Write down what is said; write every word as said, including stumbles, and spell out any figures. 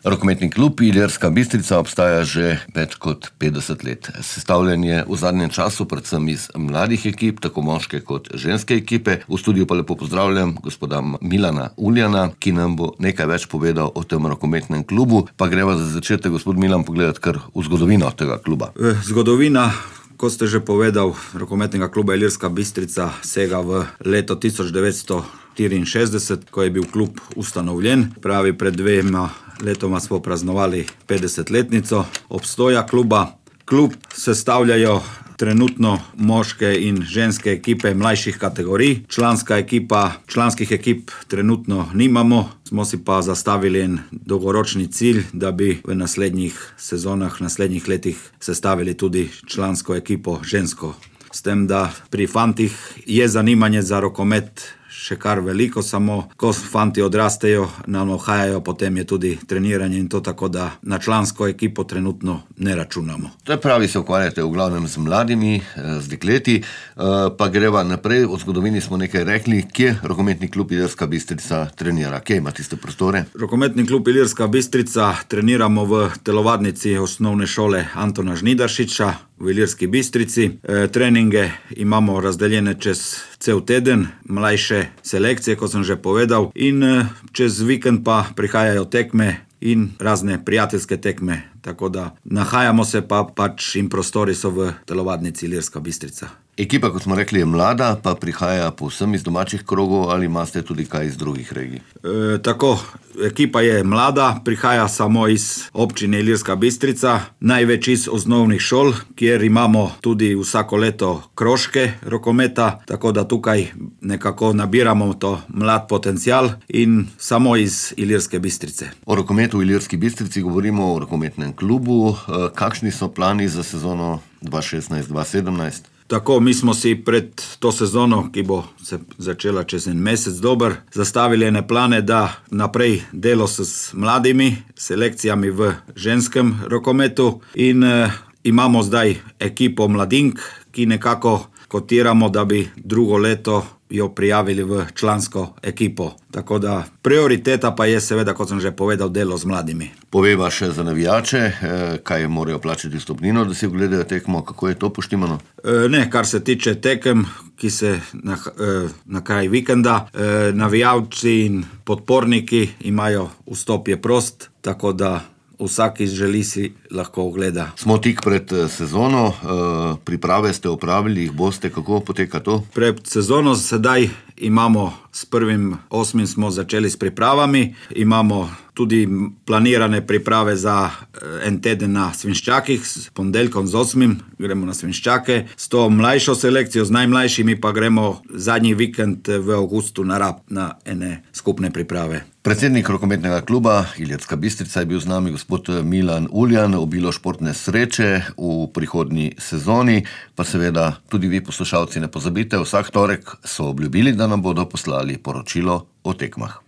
Rokometni klub Ilirska Bistrica obstaja že več kot petdeset let. Sestavljen je v zadnjem času predvsem iz mladih ekip, tako moške kot ženske ekipe. V studiu pa lepo pozdravljam gospoda Milana Uljana, ki nam bo nekaj več povedal o tem rokometnem klubu. Pa greva za začetek, gospod Milan, pogledati kar v zgodovino tega kluba. Zgodovina, ko ste že povedal, rokometnega kluba Ilirska Bistrica sega v leto tisoč devetsto štiriinšestdeset, ko je bil klub ustanovljen. Pravi, pred dvema letoma smo praznovali petdesetletnico obstoja kluba. Klub sestavljajo trenutno moške in ženske ekipe mlajših kategorij. Članska ekipa, članskih ekip trenutno nimamo, smo si pa zastavili en dolgoročni cilj, da bi v naslednjih sezonah, naslednjih letih sestavili tudi člansko ekipo žensko. S tem, da pri fantih je zanimanje za rokomet še kar veliko, samo ko fanti odrastejo, nam ohajajo, potem je tudi treniranje in to, tako da na člansko ekipo trenutno ne računamo. To je pravi, se ukvarjate v glavnem z mladimi, z dekleti, pa greva naprej. O zgodovini smo nekaj rekli. Kje rokometni klub Ilirska Bistrica trenira? Kje ima tiste prostore? Rokometni klub Ilirska Bistrica treniramo v telovadnici osnovne šole Antona Žnidaršiča v Ilirski Bistrici. E, treninge imamo razdeljene čez cel teden, mlajše selekcije, kot sem že povedal, in čez vikend pa prihajajo tekme in razne prijateljske tekme, tako da nahajamo se pa pač in prostori so v telovadnici Ilirska Bistrica. Ekipa, kot smo rekli, je mlada, pa prihaja povsem iz domačih krogov, ali imate tudi kaj iz drugih regij? E, tako, ekipa je mlada, prihaja samo iz občine Ilirska Bistrica, največ iz osnovnih šol, kjer imamo tudi vsako leto krožke rokometa, tako da tukaj nekako nabiramo to mlad potencial in samo iz Ilirske Bistrice. O rokometu v Ilirski Bistrici govorimo o rokometnem klubu. Kakšni so plani za sezono dva šestnajst dva sedemnajst? Tako, mi smo si pred to sezono, ki bo se začela čez en mesec dober, zastavili ene plane, da naprej delo s mladimi selekcijami v ženskem rokometu in eh, imamo zdaj ekipo mladink, ki nekako kotiramo, da bi drugo leto jo prijavili v člansko ekipo. Tako da prioriteta pa je seveda, kot sem že povedal, delo z mladimi. Poveva še za navijače, kaj morajo plačati vstopnino, da si ogledajo tekmo, kako je to poštimano? Ne, kar se tiče tekem, ki se na, na kraj vikenda, navijalci in podporniki imajo vstop je prost, tako da vsak, ki želi, si lahko ogleda. Smo tik pred sezono, priprave ste opravili, jih boste, kako poteka to? Pred sezono sedaj imamo, s prvim osmim smo začeli s pripravami, imamo tudi planirane priprave za en teden na Svinščakih, s ponedeljkom z osmim gremo na Svinščake, s to mlajšo selekcijo, z najmlajšimi pa gremo zadnji vikend v avgustu na Rab na ene skupne priprave. Predsednik rokometnega kluba Ilirska Bistrica je bil z nami gospod Milan Uljan. Obilo športne sreče v prihodnji sezoni, pa seveda tudi vi, poslušalci, ne pozabite, vsak torek so obljubili, da nam bodo poslali poročilo o tekmah.